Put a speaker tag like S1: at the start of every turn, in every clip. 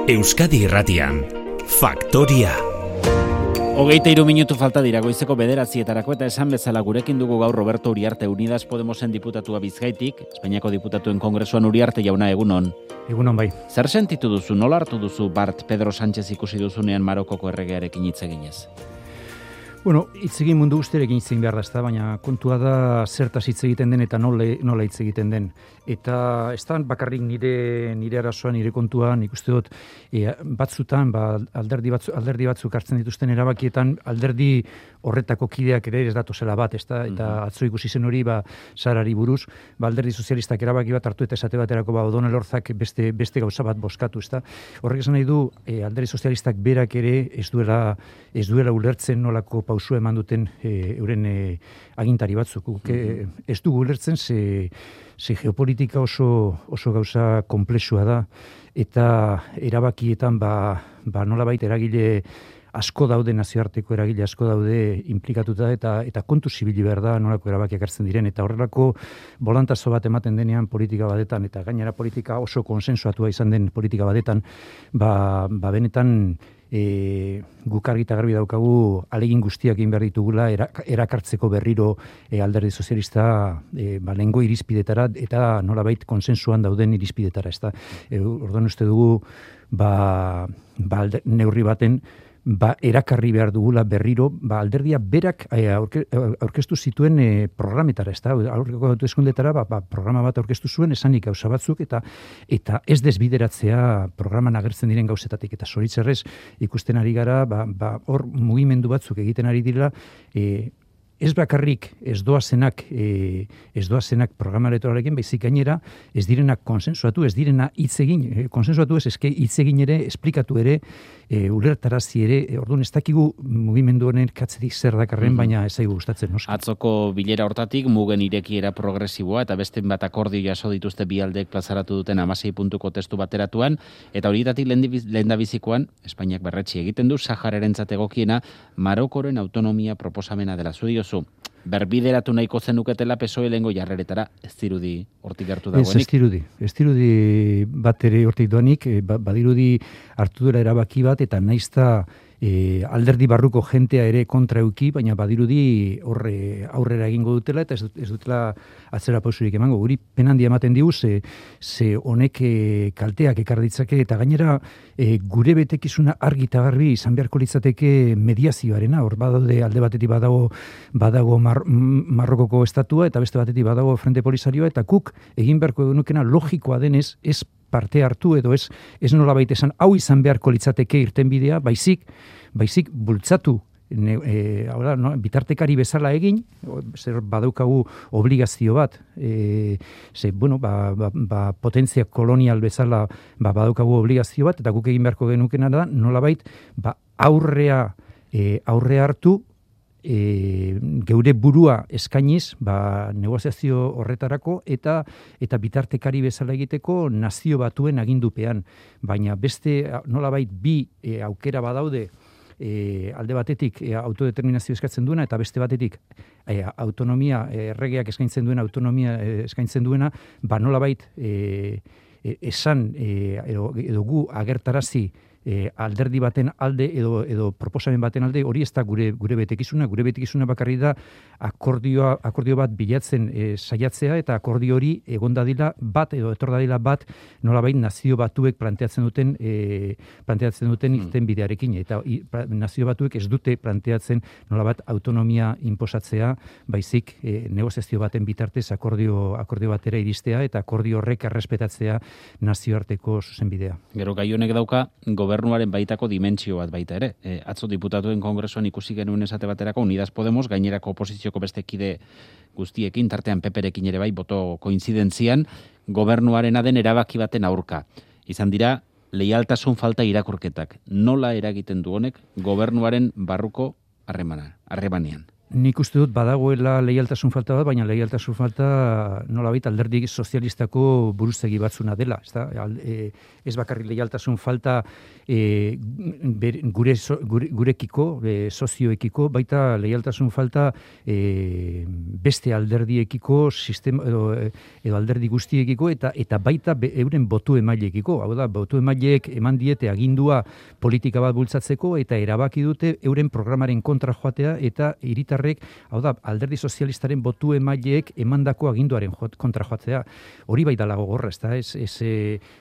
S1: Euskadi Irratian, Faktoria.
S2: 23 minutu falta dira goizeko 9:00 eta esan bezala gurekin dugu gaur Roberto Uriarte, Unidas Podemosen diputatua Bizkaitik, Espainiako diputatuen kongresuan. Uriarte jauna, egunon.
S3: Egunon bai.
S2: Zer sentitu duzu, nola hartu duzu Bart Pedro Sánchez ikusi duzunean Marokoko erregearekin hitz eginez?
S3: Bueno, hitz egin mundu guztiarekin hitz egin behar da, ezta, baina kontua da zertaz hitz egiten den eta nola hitz egiten den. Eta ez da bakarrik nire arazoa, nire kontua, nik uste dut batzutan, alderdi batzuk hartzen dituzten erabakietan, alderdi horretako kideak ere ez datozela bat, ezta, eta atzo ikusi zen hori, Sarari buruz, alderdi sozialistak erabaki bat hartu eta esate baterako O'Donnell Orzak beste gauza bat bozkatu, ezta. Horrek esan nahi du, alderdi sozialistak berak ere ez duela ulertzen nolako pausua eman duten euren agintari batzuk. Ez dugu ulertzen ze geopolitika oso gauza komplexua da, eta erabakietan nolabait eragile asko daude, nazioarteko eragile asko daude implikatuta, eta kontu zibili behar da nolako erabakiak hartzen diren, eta horrelako bolantazo bat ematen denean politika badetan, eta gainera politika oso konsensuatua izan den politika badetan, benetan guk argi eta garbi daukagu ahalegin guztiak egin behar ditugula erakartzeko berriro alderdi sozialista lehengo irizpidetara eta nolabait konsensuan dauden irizpidetara. Orduan uste dugu neurri baten erakarri behar dugula berriro, alderdia berak aurkeztu zituen programetara, aurreko hauteskundetara programa bat aurkeztu zuen, esanik gauza batzuk, eta ez desbideratzea programan agertzen diren gauzetatik, eta zoritzerrez ikusten ari gara, hor mugimendu batzuk egiten ari dira, ez bakarrik ez doazenak programa elektoralekin, baizik gainera ez direnak konsensuatu, ez direna hitz egin, konsensuatu ez hitz egin ere, esplikatu ere, ulertarazi ere, orduan ez dakigu mugimendu honen katzetik zer dakarren, baina ez zaigu gustatzen, noski.
S2: Atzoko bilera hortatik mugen irekiera progresiboa eta beste bat akordio jaso dituzte bi aldeek plazaratu duten 16 puntuko testu bateratuan, eta horietatik lehendabizikoan Espainiak berretsi egiten du Sahararentzat egokiena Marokoren autonomia proposamena dela. Zu diozu, berbideratu nahiko zenuketela PSOE lehengo jarreretara, ez dirudi hortik gertu dagoenik?
S3: Ez dirudi bat ere hortik doanik, badirudi hartu dela erabaki bat, eta naizta alderdi barruko jentea ere kontra euki, baina badirudi aurrera egingo dutela, eta ez dutela atzera pausurik emango. Guri penandia ematen digu, ze honek kalteak ekar ditzake, eta gainera gure betekizuna argi eta garbi izan beharko litzateke mediazioarena. Hor badaude alde batetik badago Marrokoko estatua, eta beste batetik badago Frente Polisarioa, eta guk egin beharko genukena logikoa denez, ez parte hartu edo ez nolabait esan hau izan beharko litzateke irtenbidea, baizik bultzatu bitartekari bezala egin, zer badaukagu obligazio bat, potentzia kolonial bezala badaukagu obligazio bat, eta guk egin beharko genukena da nolabait aurrea hartu, geure burua eskainiz negoziazio horretarako eta bitartekari bezala egiteko Nazio Batuen agindupean. Baina beste nolabait bi aukera badaude, alde batetik autodeterminazio eskatzen duena eta beste batetik autonomia, erregeak eskaintzen duena, autonomia eskaintzen duena, nolabait esan edo gu agertarazi alderdi baten alde edo proposamen baten alde, hori ez da gure betekizuna bakarri da akordio bat bilatzen saiatzea, eta akordio hori egon dadila bat edo etor dadila bat nolabait Nazio Batuek planteatzen duten irtenbidearekin, eta Nazio Batuek ez dute planteatzen nolabait autonomia inposatzea, baizik negoziazio baten bitartez akordio batera iristea eta akordio horrek errespetatzea nazioarteko zuzenbidea.
S2: Gero gai honek dauka gobernuaren baitako dimentsio bat baita ere. Atzo diputatuen kongresuan ikusi genuen esate baterako Unidas Podemos gainerako oposizioko beste kide guztiekin, tartean PPrekin ere bai, boto koinzidentzian, gobernuarena den erabaki baten aurka. Izan dira, leialtasun falta irakurketak. Nola eragiten du honek gobernuaren barruko harremanean?
S3: Nik uste dut badagoela leialtasun falta bat, baina leialtasun falta nolabait alderdi sozialistako buruzegi batzuna dela. Ez bakarrik leialtasun falta gurekiko, sozioekiko, baita leialtasun falta beste alderdiekiko, sistema, edo alderdi guztiekiko, eta baita euren botu emaileekiko. Hau da, botu emaileek eman diete agindua politika bat bultzatzeko, eta erabaki dute euren programaren kontra joatea, eta hiritarrek, hau da, alderdi sozialistaren botu emaileek emandako aginduaren kontra joatzea. Hori bai dala gogorra, ez da?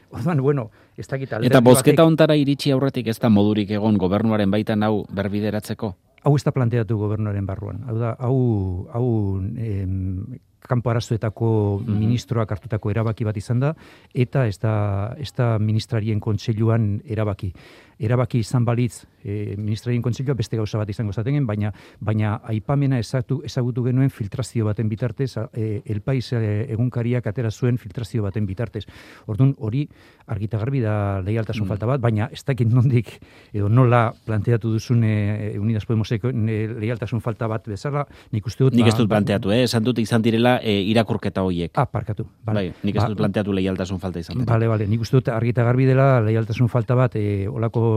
S3: Orduan, bueno, ez dakit alderdi
S2: eta bozketa ontara iritsi aurretik ez da modurik egon gobernuaren baitan hau berbideratzeko?
S3: Hau ez da planteatu gobernuaren barruan. Hau da, hau kanpo arazoetako ministroak hartutako erabaki bat izan da, eta ez da ministrarien kontseiluan erabaki. Erabaki izan balitz ministrarien kontseilua beste gauza bat izango zaten, baina aipamena ezagutu genuen filtrazio baten bitartez, El Pais egunkariak atera zuen filtrazio baten bitartez. Orduan hori argita garbi da leialtasun falta bat, baina ez dakit nondik edo nola planteatu duzun Unidas Podemoseko leialtasun falta bat bezala, nik uste dut...
S2: Nik ez dut planteatu, esan dut izan direla irakurketa horiek.
S3: Parkatu.
S2: Bai, nik ez dut planteatu leialtasun falta izan.
S3: Bale, nik uste dut argita garbi dela leialtasun falta bat, olako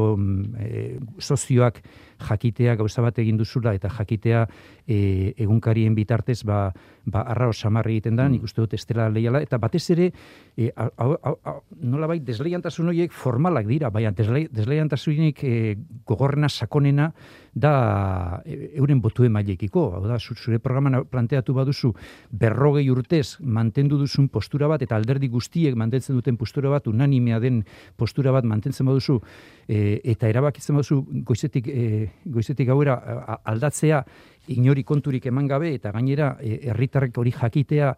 S3: sozioak jakitea gauza bat egin duzula eta jakitea egunkarien bitartez arraro samarri egiten da, nik uste dut ez dela leiala, eta batez ere nolabait desleiantasun horiek formalak dira, baina desleiantasunik gogorrena sakonena da euren botu emaileekiko. Hau da, zure programan planteatu baduzu 40 urtez mantendu duzun postura bat, eta alderdi guztiek mantentzen duten postura bat, unanimea den postura bat mantentzen baduzu, eta erabakitzen baduzu goizetik gauera aldatzea inori konturik eman gabe, eta gainera herritarrek hori jakitea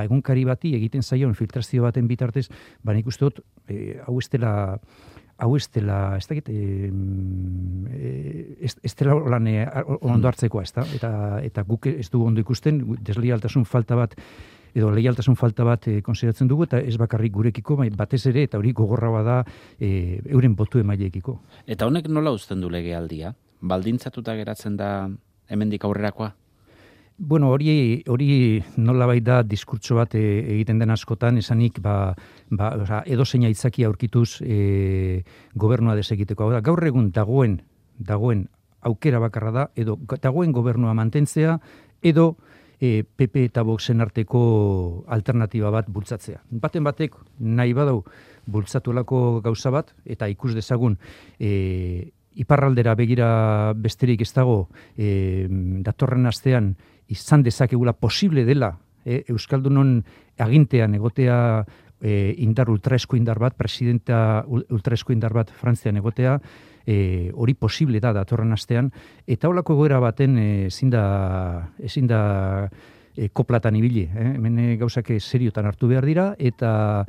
S3: egunkari bati egiten zaion filtrazio baten bitartez, nik uste dut hau ez dela, ez dakit, ez dela ondo hartzekoa, ez da? Eta guk ez dugu ondo ikusten, desleialtasun falta bat, edo leialtasun falta bat konsideratzen dugu, eta ez bakarrik gurekiko, batez ere, eta hori gogorra bada euren botu emaileekiko.
S2: Eta honek nola uzten du legealdia? Baldintzatuta geratzen da hemendik aurrerakoa?
S3: Bueno, hori nolabait da diskurtso bat egiten den askotan, esanik edozein aitzaki aurkituz gobernua desegiteko. Hau da, gaur egun dagoen aukera bakarra da, edo dagoen gobernua mantentzea, edo PP eta Voxen arteko alternatiba bat bultzatzea. Baten batek nahi badau bultzatuelako gauza bat, eta ikus dezagun iparraldera begira besterik ez dago datorren astean izan dezakegula posible dela Euskaldunon agintean egotea ultraesko indar bat, presidenta ultraesko indar bat Frantzian egotea, hori posible da datorren astean, eta holako egoera baten ezin da koplatan ibili. Hemen gauzak seriotan hartu behar dira, eta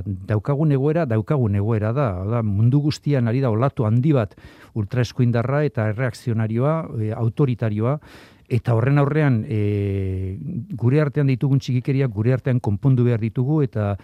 S3: daukagun egoera da, mundu guztian ari da olatu handi bat ultraesko indarra eta erreakzionarioa, autoritarioa, eta horren aurrean gure artean ditugun txikikeria gure artean konpondu behar ditugu, eta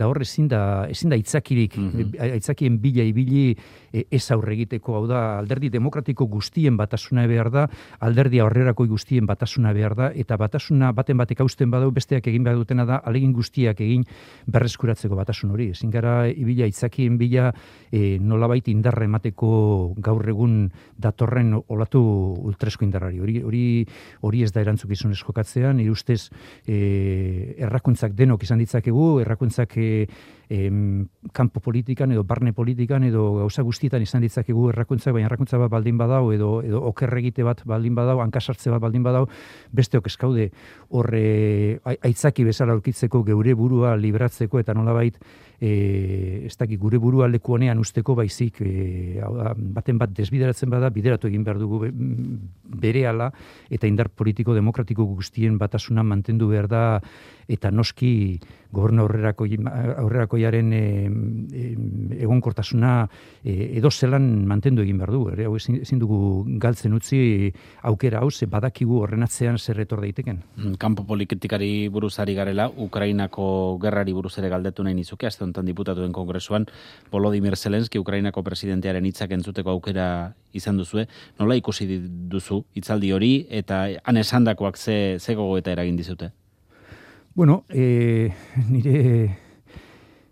S3: hor ezin da aitzakirik, aitzakien bila ibili ez aurre egiteko. Hau da, alderdi demokratiko guztien batasuna behar da, alderdi aurrerako guztien batasuna behar da, eta batasuna baten batek hausten badau, besteak egin behar dutena da, alegin guztiak egin berreskuratzeko batasun hori. Ezin gara ibila aitzakien bila nolabait indarra emateko gaur egun datorren olatu ultraesko indarrari. Hori ez da erantzukizunez jokatzea, nire ustez errakuntzak denok izan ditzakegu, errakuntzak kanpo politikan edo barne politikan edo gauza guztietan izan ditzakegu errakuntzak, baina errakuntza bat baldin badau edo okerregite bat baldin badau, hankasartze bat baldin badau, besteok eskaude horre aitzaki bezala aurkitzeko geure burua libratzeko, eta nolabait ez dakit gure burua leku honean usteko, baizik baten bat desbideratzen bada, bideratu egin behar dugu berehala, eta indar politiko demokratiko guztien batasuna mantendu behar da, eta noski gobernu aurrerakoiaren egonkortasuna edo zelan mantendu egin behar du. Hau ezin dugu galtzen utzi aukera hau, ze badakigu horren atzean zer etor daiteken.
S2: Kanpo politikari buruz ari garela, Ukrainako gerrari buruz ere galdetu nahi nizuke, aste honetan diputatuen kongresuan Volodymyr Zelenski Ukrainako presidentearen hitzak entzuteko aukera izan duzue. Nola ikusi duzu hitzaldi hori eta han esandakoak ze gogoeta eragin dizute?
S3: Bueno,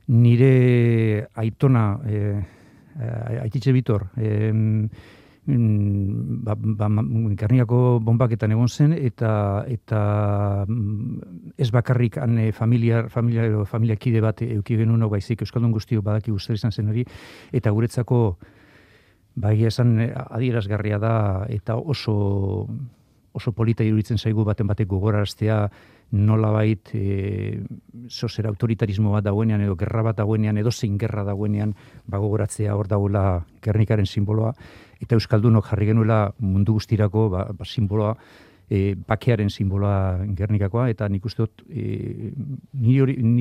S3: nire aitona, Aititxe Bitor, Gernikako bonbaketan egon zen, eta ez bakarrik han familia kide bat euki genuen baizik euskaldun guztiok badaki zer izan zen hori, eta guretzako egia esan adierazgarria da eta oso polita iruditzen zaigu baten batek gogoraraztea nolabait zozer autoritarismo bat dagoenean edo gerra bat dagoenean edo zein gerra dagoenean gogoratzea hor dagoela Gernikaren simboloa, eta euskaldunok jarri genuela mundu guztirako simboloa, bakearen simboloa Gernikakoa, eta nik uste dut ni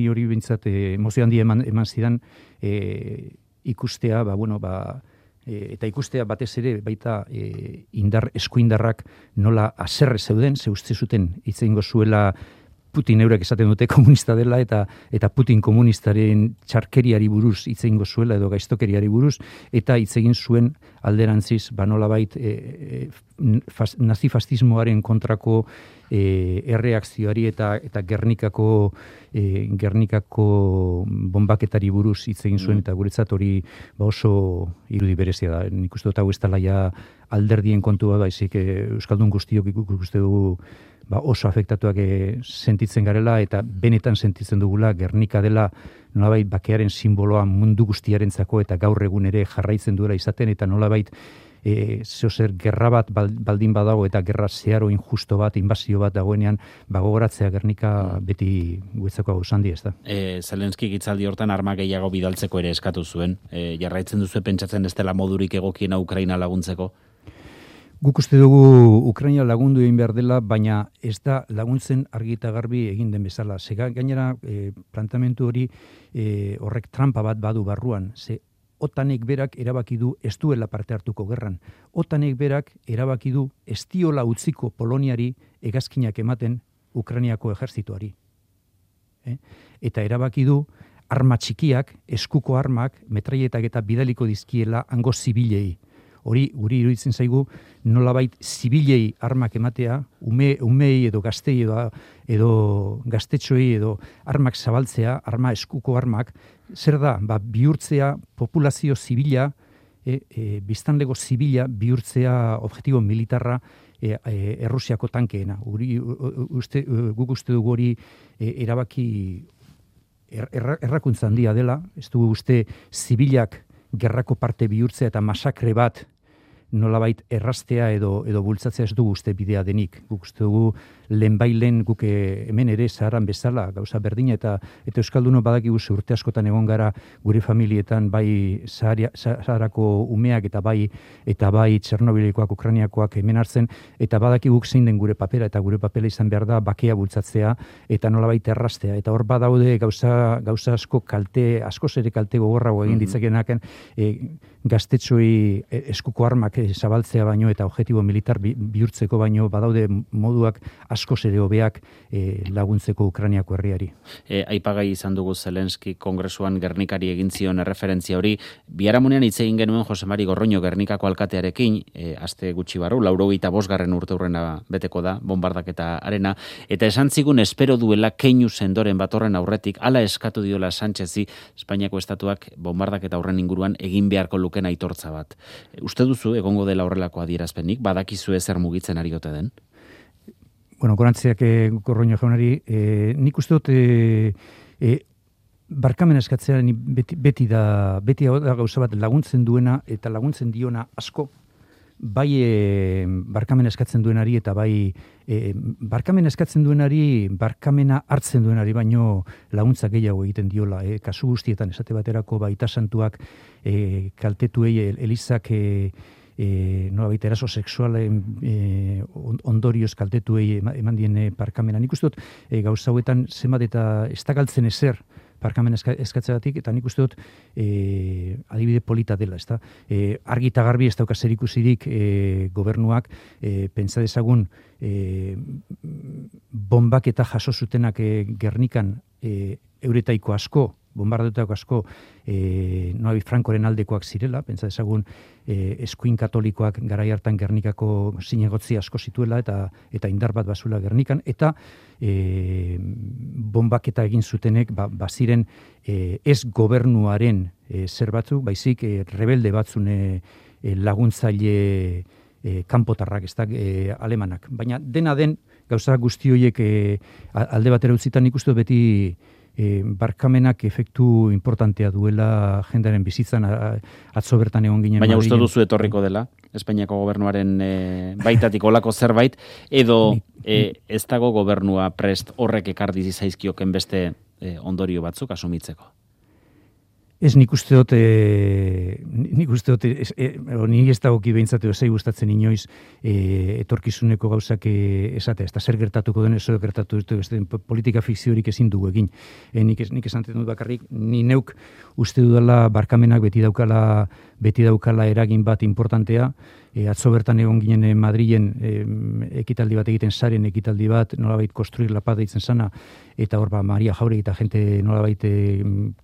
S3: hori bintzat emozio handi eman zidan ikustea, eta ikustea batez ere baita eskuindarrak nola haserre zeuden, ze uste zuten hitz egingo zuela Putin eurek esaten dute komunista dela, eta Putin komunistaren txarkeriari buruz hitz egingo zuela edo gaiztokeriari buruz, eta hitz egin zuen alderantziz nolabait nazifastismoaren kontrako erreakzioari eta Gernikako bonbaketari buruz hitz egin zuen, eta guretzat hori oso irudi berezia da. Nik uste dut hau ez dela ja alderdien kontua, baizik euskaldun guztiok ikuste dugu oso afektatuak sentitzen garela, eta benetan sentitzen dugula Gernika dela nolabait bakearen simboloa mundu guztiarentzako, eta gaur egun ere jarraitzen duela izaten, eta nolabait zeozer gerra bat baldin badago eta gerra zeharo injusto bat, inbazio bat dagoenean, gogoratzea Gernika beti guetzako hau zandi, ez da.
S2: Zelenski hitzaldi hortan arma gehiago bidaltzeko ere eskatu zuen. Jarraitzen duzu pentsatzen ez dela modurik egokiena Ukraina laguntzeko?
S3: Guk uste dugu Ukraina lagundu egin behar dela, baina ez da laguntzen argi eta garbi egin den bezala. Gainera, plantamentu hori horrek trampa bat badu barruan. OTANek berak erabaki du ez duela parte hartuko gerran. OTANek berak erabaki du ez diola utziko Poloniari hegazkinak ematen Ukrainiako ejertzituari. Eta erabaki du arma txikiak, eskuko armak, metraietak eta bidaliko dizkiela hango zibilei. Hori guri iruditzen zaigu nolabait zibilei armak ematea, umei edo gaztei edo gaztetxoei edo armak zabaltzea, eskuko armak, zer da, bihurtzea populazio zibila, biztanlego zibila bihurtzea objektibo militarra Errusiako tankeena. Guk uste dugu hori erabaki errakuntza handia dela, ez dugu uste zibilak gerrako parte bihurtzea eta masakre bat nolabait erraztea edo bultzatzea ez dugu uste bidea denik. Guk uste dugu lehenbailen guk hemen ere Saharan bezala gauza berdina, eta euskaldunok badakigu urte askotan egon gara gure familietan bai Saharako umeak eta bai Txernobilikoak, Ukrainiakoak hemen hartzen, eta badakiguk zein den gure papera, eta gure papera izan behar da bakea bultzatzea eta nolabait erraztea. Eta hor badaude gauza asko askoz ere kalte gogorrago egin ditzakenaken gaztetxoi eskuko armak zabaltzea baino eta objektibo militar bihurtzeko baino badaude moduak askoz ere hobeak laguntzeko Ukrainiako herriari.
S2: Aipagai izan dugu Zelenski kongresuan Gernikari egin zion erreferentzia hori. Biharamunean hitz egin genuen Jose Mari Gorroño Gernikako alkatearekin, aste gutxi barru, 85. urteurrena beteko da, bombardaketa arena, eta esan zigun espero duela keinu sendoren bat horren aurretik, hala eskatu diola Sánchezi, Espainiako estatuak bombardaketa horren inguruan egin beharko luken aitortza bat. Uste duzu egongo dela horrelako adierazpenik, badakizu zer mugitzen ari ote den?
S3: Bueno, gorantziak Gorroño jaunari, nik uste dut barkamen eskatzea beti da gauza bat laguntzen duena eta laguntzen diona asko, bai barkamen eskatzen duenari eta bai barkamen eskatzen duenari, barkamena hartzen duenari baino laguntza gehiago egiten diola. Kasu guztietan esate baterako baita santuak kaltetuei elizak nolabait eraso sexualen ondorioz kaltetuei eman dien barkamena. Nik uste dut gauza hauetan zenbat eta ez da galtzen ezer barkamen eskatzeagatik, eta nik uste dut adibide polita dela, ezta? Argi eta garbi ez dauka zerikusirik gobernuak pentsa dezagun bombak eta jaso zutenak Gernikan euretaiko asko, bombardetako asko Noabi Frankoren aldekoak zirela, pentsa dezagun eskuin katolikoak garai hartan Gernikako zinegotzi asko zituela eta indar bat bazula Gernikan, eta bombaketa egin zutenek baziren ez gobernuaren zer batzuk, baizik rebelde batzune laguntzaile kanpotarrak, ez da, alemanak. Baina dena den, gauza guzti horiek alde batera utzitan ikustu beti barkamenak efektu importantea duela jendearen bizitzan, atzo bertan egon ginen.
S2: Baina uste duzu etorriko dela, Espainiako gobernuaren baitatik olako zerbait, edo ez dago gobernua prest horrek ekardi zaizkioken beste ondorio batzuk asumitzeko?
S3: Ez, nik uste dut, nik ez dagoki behintzatu ezai gustatzen inoiz etorkizuneko gauzak esatea, ez da zer gertatuko den, ez gertatu politika fikziorik ezin dugu egin. Nik esan dut bakarrik, ni neuk uste dudala barkamenak beti daukala eragin bat importantea. Atzo bertan egon ginen Madrilen ekitaldi bat egiten, saren ekitaldi bat, nolabait Construir la Paz deitzen sana, eta hor Maria Jauregui eta jente nolabait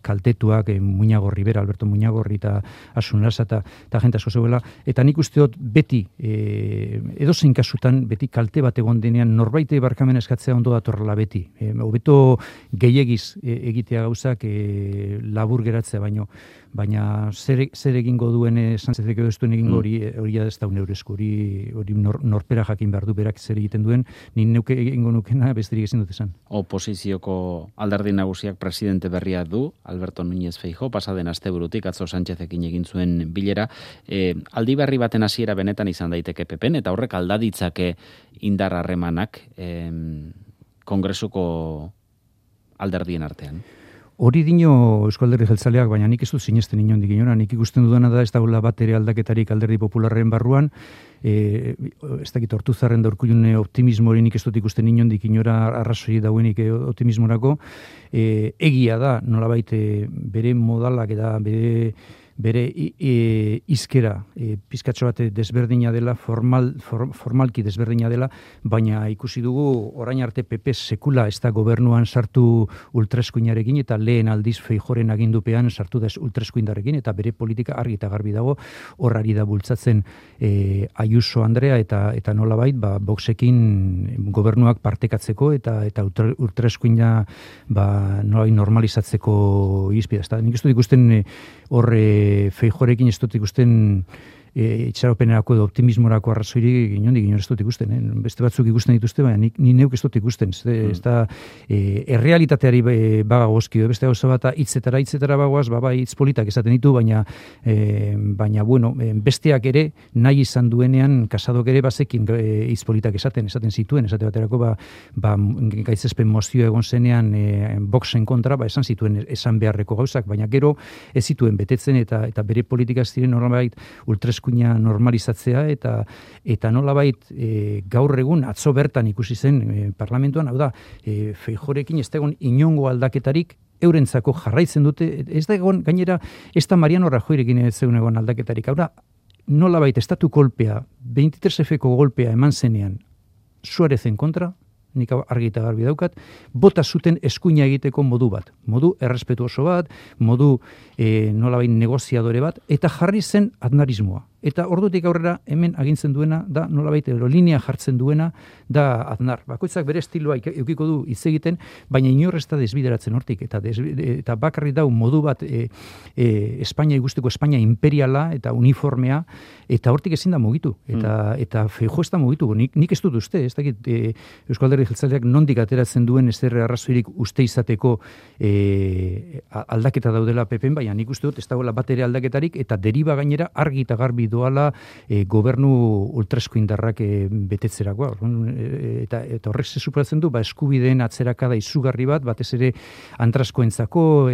S3: kaltetuak, Muñago Rivera, Alberto Muñagorri eta Asun Lasa eta jente asko zegoela, eta nik uste dut beti, edozein kasutan, beti kalte bat egon denean, norbait barkamen eskatzea ondo datorrela beti. Hobeto gehiagiz egitea gauzak labur geratzea baina zer egingo duen Sánchezek edo ez duen egingo hori ez da uneurezko, hori norpera jakin behar du berak zer egiten duen, ni neuke egingo nukena besterik ezin dut esan.
S2: Oposizioko alderdi nagusiak presidente berria du, Alberto Núñez Feijóo, pasaden asteburutik atzo Sánchezekin egin zuen bilera. Aldi berri baten hasiera benetan izan daiteke PPn, eta horrek aldaditzake indar harremanak Kongresuko alderdien artean.
S3: Hori dino Eusko Alderdi Jeltzaleak, baina nik ez dut sinesten inondik inora. Nik ikusten dudana da ez dagoela bat ere aldaketarik Alderdi Popularren barruan, ez dakit Ortuzarren da Urkullune optimismo hori nik ez dut ikusten inondik inora arrazoi dauenik optimismorako. Egia da, nolabait bere modalak eta bere izkera pizkatxo bat desberdina dela, formalki desberdina dela, baina ikusi dugu orain arte PP sekula ez da gobernuan sartu ultraeskuinarekin, eta lehen aldiz Feijóoren agindupean sartu da ultraeskuindarekin, eta bere politika argi eta garbi dago, horrari da bultzatzen Ayuso Andrea eta nolabait Voxekin gobernuak partekatzeko eta ultraeskuina nolabait normalizatzeko irizpidea. Nik ez dut ikusten Feijóorekin ez dut ikusten itxaropenerako edo optimismorako arrazoirik inondik ez dut ikusten. Beste batzuk ikusten dituzte, baina ni neuk ez dut ikusten. Ez da errealitateari bagagozki, beste gauza bat hitzetara bagoaz, hitz politak esaten ditu, baina bueno, besteak ere nahi izan duenean Casadok ere bazekin hitz politak esaten zituen, esate baterako gaitzespen mozio egon zenean Voxen kontra, esan zituen esan beharreko gauzak, baina gero ez zituen betetzen eta bere politika ziren nolabait ultraeskuina normalizatzea eta nolabait gaur egun atzo bertan ikusi zen parlamentuan, hau da, Feijóorekin ez da egon inongo aldaketarik, eurentzako jarraitzen dute, ez da egon, gainera, ez da Mariano Rajoyrekin ez zegoen egon aldaketarik, hau da, nolabait estatu kolpea, 23Fko golpea eman zenean, Suarezen kontra, nik argi eta garbi daukat, bota zuten eskuina egiteko modu bat, modu errespetuoso bat, modu nolabait negoziadore bat, eta jarri zen aznarismoa. Eta ordutik aurrera hemen agintzen duena da nolabait linea jartzen duena da Aznar. Bakoitzak bere estiloa edukiko du hitz egiten, baina inor ez da desbideratzen hortik eta bakarrik dau modu bat Espainia ikusteko, Espainia imperiala eta uniformea, eta hortik ezin da mugitu. Eta Feijóo ez da mugitu. Nik ez dut uste, ez dakit Eusko Alderdi Jeltzaleak nondik ateratzen duen ez arrazoirik uste izateko aldaketa daudela PPn, baina nik uste dut ez dagoela bat ere aldaketarik, eta deriba gainera argi eta garbi doala gobernu ultraeskuindarrak betetzerakoa. Eta horrek superatzen du, eskubideen atzerakada izugarri bat, batez ere antraskoentzako,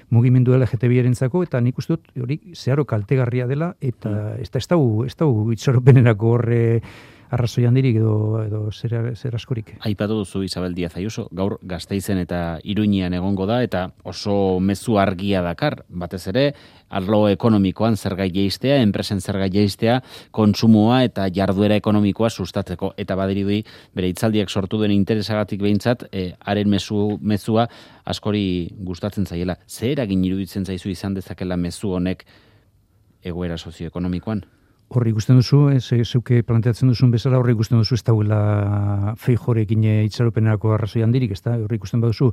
S3: mugimendu LGTBirentzako, eta nik uste dut hori zeharo kaltegarria dela, eta ez da itxaropenerako horre arrazoi handirik edo zer askorik.
S2: Aipatu duzu Isabel Díaz Ayuso, gaur Gasteizen eta Iruñean egongo da, eta oso mezu argia dakar, batez ere, arlo ekonomikoan zerga jeistea, enpresen zerga jeistea, kontsumoa eta jarduera ekonomikoa sustatzeko. Eta badirudi, bere hitzaldiak sortu den interesagatik behintzat, haren mezua askori gustatzen zaiela. Zer eragin iruditzen zaizu izan dezakela mezu honek egoera sozioekonomikoan?
S3: Horri ikusten duzu, zeuke planteatzen duzun bezala, horri ikusten duzu ez dauela Feijórekin itxaropenerako arrazoi handirik, ez da? Horri ikusten baduzu,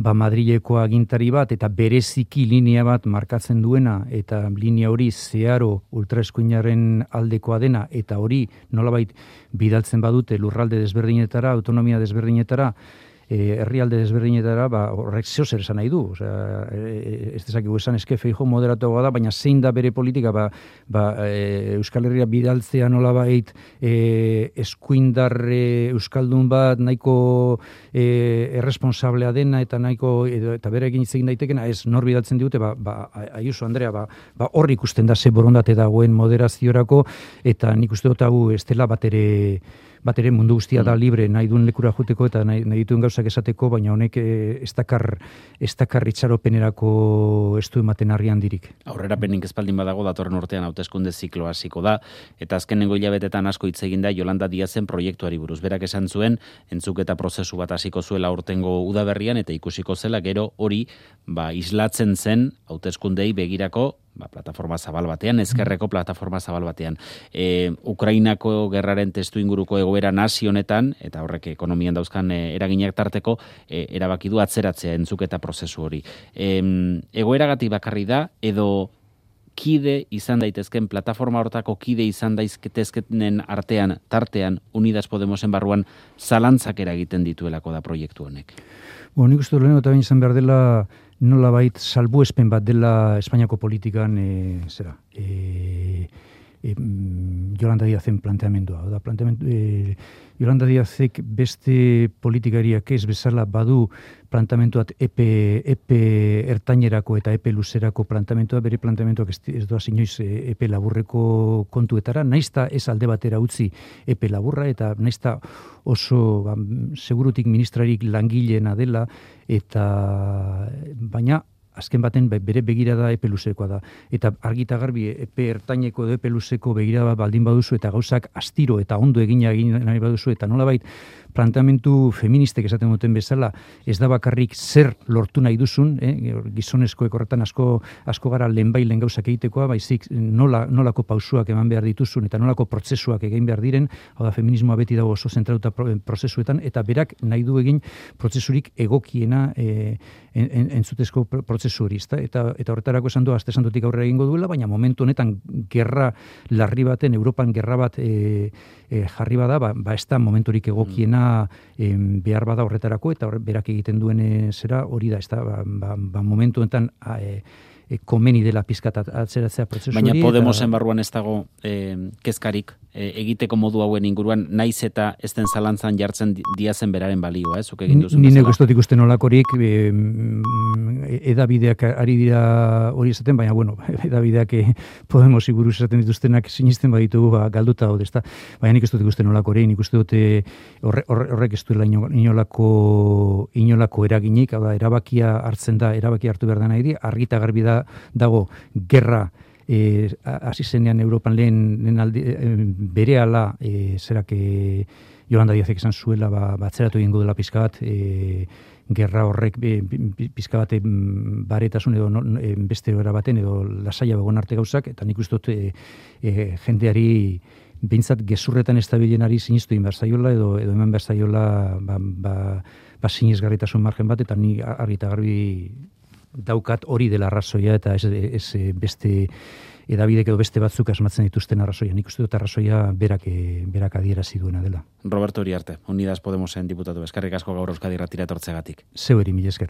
S3: Madrileko agintari bat eta bereziki linea bat markatzen duena, eta linea hori zeharo ultraeskuinaren aldekoa dena, eta hori nolabait bidaltzen badute lurralde desberdinetara, autonomia desberdinetara, herrialde desberdinetara, horrek zer esan nahi du. Osea, ez dezakigu esan eske Feijóo moderatuagoa da, baina zein da bere politika, Euskal Herria bidaltzea nolabait eskuindar euskaldun bat nahiko erresponsablea dena eta nahiko eta berekin hitz egin daitekena, ez nor bidaltzen digute, Ayuso Andrea, hor ikusten da ze borondate dagoen moderaziorako, eta nik uste dut hau ez dela bat ere mundu guztia da libre, nahi duen lekura juteko eta nahi dituen gauzak esateko, baina honek ez dakar itxaropenerako ez du ematen harri handirik.
S2: Aurrerapenik espaldin badago datorren urtean hauteskunde zikloa hasiko da, eta azkenengo hilabetetan asko hitz egin da Yolanda Díazen proiektuari buruz. Berak esan zuen, entzuketa prozesu bat hasiko zuela urtengo udaberrian, eta ikusiko zela gero hori islatzen zen hauteskundei begirako plataforma zabal batean, ezkerreko plataforma zabal batean. Ukrainako gerraren testu inguruko egoera nazi honetan, eta horrek ekonomian dauzkan eraginak tarteko, erabaki du atzeratzea entzuketa prozesu hori. Egoeragatik bakarri da, edo kide izan daitezken, plataforma hortako kide izan daitezkenen tartean, Unidas Podemosen barruan zalantzak eragiten dituelako da proiektu honek?
S3: Nik uste dut eta bain izan behar dela nolabait salbuespen bat dela Espainiako politikan Yolanda Díazen planteamendua. Yolanda Díazek beste politikariak ez bezala badu planteamentuat epe ertainerako eta epe luzerako planteamentua, bere planteamentuak ez doaz inoiz epe laburreko kontuetara, naizta ez alde batera utzi epe laburra, eta naizta oso segurutik ministrarik langileena dela, eta baina azken baten bere begirada epe luzekoa da. Eta argita garbi epe ertaineko edo epe luzeko begirada baldin baduzu eta gauzak astiro eta ondo egin nahi baduzu, eta nolabait planteamentu feministek esaten duten bezala, ez da bakarrik zer lortu nahi duzun, gizonezkoek horretan asko gara lehenbailen gauzak egitekoa, baizik nolako pausuak eman behar dituzun eta nolako prozesuak egin behar diren, hau da, feminismoa beti dago oso zentratuta prozesuetan, eta berak nahi du egin prozesurik egokiena entzutezko prozesu hori, eta horretarako esan du, aste santutik aurrera egingo duela, baina momentu honetan gerra larri baten, Europan gerra bat jarri bada, ez da momenturik egokiena behar bada horretarako, eta berak egiten duen zera hori da, ez da, momentu honetan komeni dela pizkat atzeratzea prozesu hori.
S2: Baina Podemosen barruan ez dago kezkarik egiteko modu hauen inguruan, naiz eta ez den zalantzan jartzen Díazen beraren balioa, zuk egin duzu.
S3: Ni neuk ez dut ikusten olakorik, edabideak ari dira hori esaten, baina, edabideak Podemosi buruz esaten dituztenak sinisten baditugu galduta hau, ezta. Baina nik ez dut ikusten olakorik, nik uste dut horrek ez duela inolako eraginik, hau da, erabakia hartzen da, erabakia hartu behar da nahi di, argita garbi dago gerra hasi zenean Europan lehen berehala zerak Yolanda Díazek esan zuela atzeratu egingo dela pizka bat gerra horrek pizka bat baretasun edo beste era baten edo lasaia begon arte gauzak, eta nik uste dut jendeari behintzat gezurretan estabilenari sinistu egin behar zaiola edo eman behar zaiola sinesgarritasun margen bat, eta ni argita garbi daukat hori dela arrazoia, eta ez beste edabidek edo beste batzuk asmatzen dituzten arrazoia. Nik uste dut arrazoia berak adierazi duena dela.
S2: Roberto Uriarte, Unidas Podemosen diputatu, eskerrik asko gaur Euskadi Irratira etortzegatik.
S3: Zeu eri, mila esker.